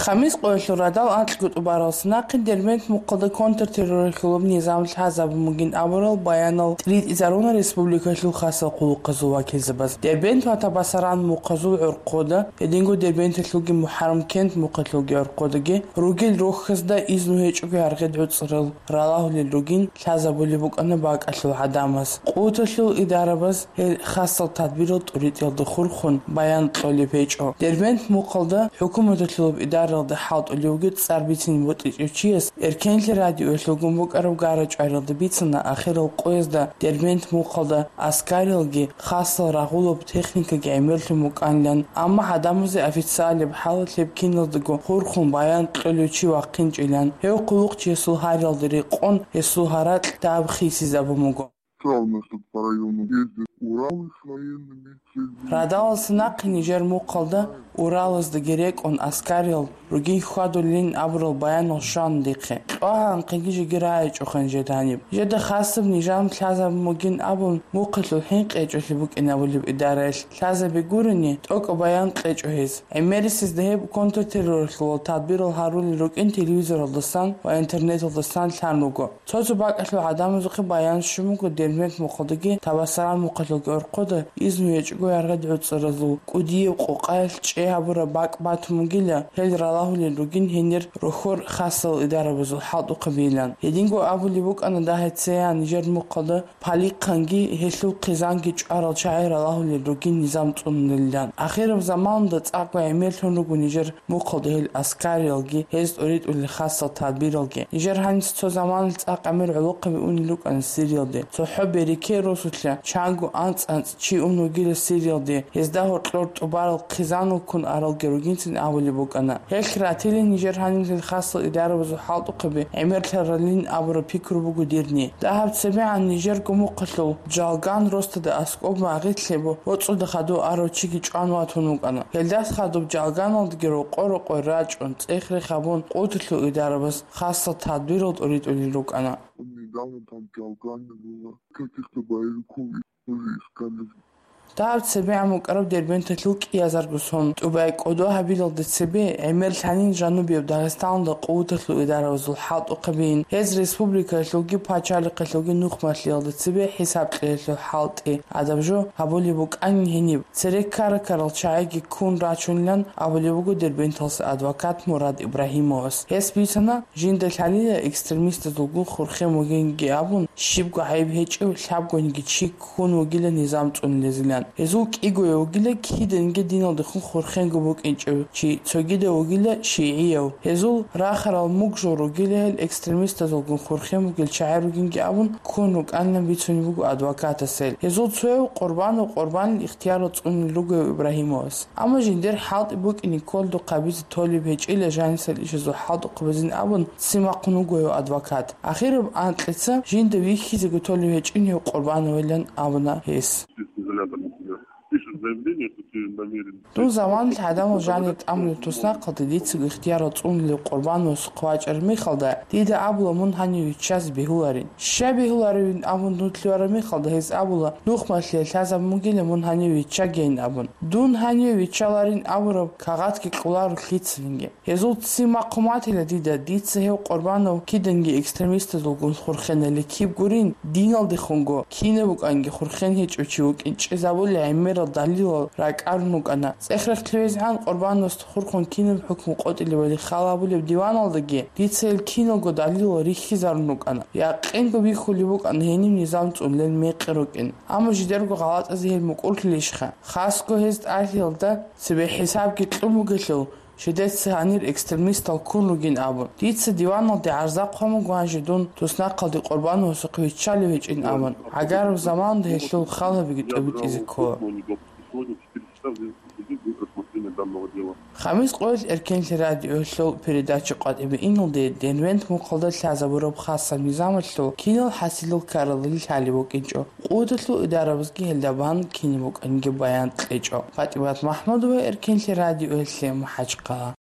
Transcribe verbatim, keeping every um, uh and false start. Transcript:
Хамис къоялъул радал анкьго тӀубаралъ нахъе Дербент мухъалда контртерроралъулаб низам лъазабун бугин абурал баянал тӀритӀизаруна республикалъул хасал къулухъазул вакилзабаз. Дербент ва Табасаран мухъазул гӀорхъода, гьединго Дербенталъулги МухӀаррам-Кент мухъалъулги гӀорхъодаги ругел рохьазда изну гьечӀого яргъи гӀуцӀрал ралагьулел ругин лъазабулеб букӀана бакӀалъул гӀадамаз. Къуваталъул идарабаз гьел хасал тадбирал тӀуритӀиялда хурхун баян кьолеб гьечӀо. Дербент мухъалда хӀукуматалъулаб идаралда хӀалтӀулев вугев цӀар бицине бутӀичӀев чияс Эркенлъи радиоялъулгун букӀараб гара-чӀвариялда бицана ахирал къоязда Дербент мухъалда аскарилги хасал рагъулаб техникаги гӀемерлъун букӀанилан, амма гӀадамазе официалияб хӀалалъ гьеб киназдаго хурхун баян кьолев чи вахъинчӀилан, гьев хъулухъчиясул гьариялда рекъон гьесул гьаракь дагьаб хисизабун буго. Радалалъ нахъе нижер мухъалда Уралаздаги рекӀун аскариял ругин хьвадулин абурал баянал щвана дихъе. КьвагӀанхъеги жеги рагӀичӀохъин жед гьаниб. Жеда хасаб нижам лъазабун бугин абун, мухъалъул хӀинкъи гьечӀолъи букӀинабулеб идараялъ лъазаби гурони, тӀокӀаб баян кьечӀо гьез. ГӀемерисезда гьеб контртерроралъулал тадбирал гьарулел рукӀин телевизоралдасан ва интернеталдасан лъан руго. Цо-цо бакӀалъул гӀадамазухъе баян щун буго Дербент мухъалдаги Табасаран мухъалъулги гӀорхъода изну гьечӀого яргъи гӀуцӀразул кӀудияб къокъаялъ чӀей гьабураб бакӀ батун бугила, гьел ралагьулел ругин гьенир рохьор хасал идарабазул хӀалтӀухъабийилан. Гьединго абулеб букӀана дагьецеян нижер мухъалда Палихъанги гьелъул хъизанги чӀварал чагӀи ралагьулел ругин низам цӀунулилан. Ахираб заманалда цӀакъго гӀемерлъун руго нижер мухъалда гьел аскариялги, гьез тӀуритӀулел хасал тадбиралги. Нижер гьаниса цо заманалъ цӀакъ гӀемер гӀолохъаби унел рукӀана Сириялде. ЦохӀо береке росулъа чанго анцӀ-анцӀ чи ун вугила Сириялде, гьезда гьоркьор тӀубарал хъизанал ккун аралги ругинцин абулеб букӀана. Гьелъ ратилин нижер гьанилъил хасал идарабазул хӀалтӀухъаби гӀемерлъаралин абураб пикру буго дирни. Дагьаб цебегӀан нижерго мухъалъул Джалган росдада аскӀоб магъилъе боцӀуда хадув арав чиги чӀван ватун вукӀана. Гьелдас хадуб Джалганалдаги рокъо-рокъой рачӀун, цӀех-рех гьабун, къуваталъул идарабаз хасал тадбирал тӀуритӀулел рукӀана. Недавно там Джалгане было каких-то боевиков из-, тоже искали. Дагьаб цебегӀан букӀараб Дербенталъул кӀиазарго сон тӀубай кӀодо гьабилалде цебе, гӀемерлъанин Жанубияб Дагъистаналда къуваталъул идарабазул хӀалтӀухъабийин, гьез республикаялъулги пачалихъалъулги нухмалъиялда цебе хӀисаб кьеялъул хӀалтӀи, адаб жо гьабулеб букӀанин гьениб. Цере ккара-ккарал чагӀиги ккун рачунилан абулеб буго Дербенталъ адвокат Мурад Ибрагьимовас. Гьес бицана, жинда лъалила экстремистазулгун хурхен вугинги абун, щибго гӀайиб гьечӀев лъабгониги чи ккун вугила низам цӀунулезилан. Гьезул кӀигояв вугила киданги диналдехун хурхенго букӀинчӀев чи, цогидав вугила шигӀияв. Гьезул рахарал мугжал ругила гьел экстремистазулгун хурхен вугел чагӀи ругинги абун, ккун рукӀанилан бицунеб буго адвокатас гьел. Гьезул цояв Къурбанов Къурбанил ихтияр цӀунил ругояв Ибрагьимовас. Амма жиндир хӀалтӀи букӀине кколдухъ гьабизе толеб гьечӀила жанисел ишазул хӀалтӀухъабазин абун, ццин бахъун вугояв адвокат. Ахираб анкьица жинда вихьизего толеб гьечӀин гьев Къурбановилан абуна гьес. Пишет заявление, что ты намерен. Дун заманалъ гӀадамал жанир тӀамулеб туснахъалда дицаго ихтияр цӀунулев Къурбановасухъе вачӀараб мехалда, дида абула мун гьанив виччазе бегьуларин. Щай бегьуларивин абун дун лъугьараб мехалда, гьез абула, нухмалъиялъ лъазабун бугила мун гьанив виччагейин абун. Дун гьанив виччаларин абураб кагъатги кьоларо лъицанги. Гьезул ццин бахъун батила дида, дица гьев Къурбанов киданги экстремистазулгун хурхенали киб гурин, диналдехунго кинаб букӀанги хурхен гьечӀев чи вукӀин чӀезабулел гӀемерал далилал ракӀарун рукӀана. ЦӀех-рех лъугӀизегӀан Къурбановасда хурхун кинаб хӀукму къотӀилебали хал гьабулеб диваналдаги дица гьел киналго далилал рихьизарун рукӀана. Якъинго бихьулеб букӀана гьениб низам цӀунулел мекъи рукӀин. Амма жидерго гъалатӀазе гьел мукӀурлъилищха? Хасго гьез тӀалъиялда цебе хӀисабги кьун бугелъул, жидеца гьанир экстремистал ккун ругин абун. Дица диваналде гӀарза хъван буго гьанже дун туснахъалде Къурбановасухъе виччалев гьечӀин абун. ГӀагараб заманалда гьелъул хал гьабиги тӀобитӀизе ккола. Хамис къоялъ Эркенлъи радиоялъул передача къватӀибе иналде Дербент мухъалда лъазабураб хасаб низамалъул кинал хӀасилал ккаралдалъун лъалеб букӀинчӀо. Къуваталъул идарабазги гьелда бан кинаб букӀанги баян кьечӀо. ПатӀимат МахӀмудова, Эркенлъи радиоялъе, МахӀачхъала.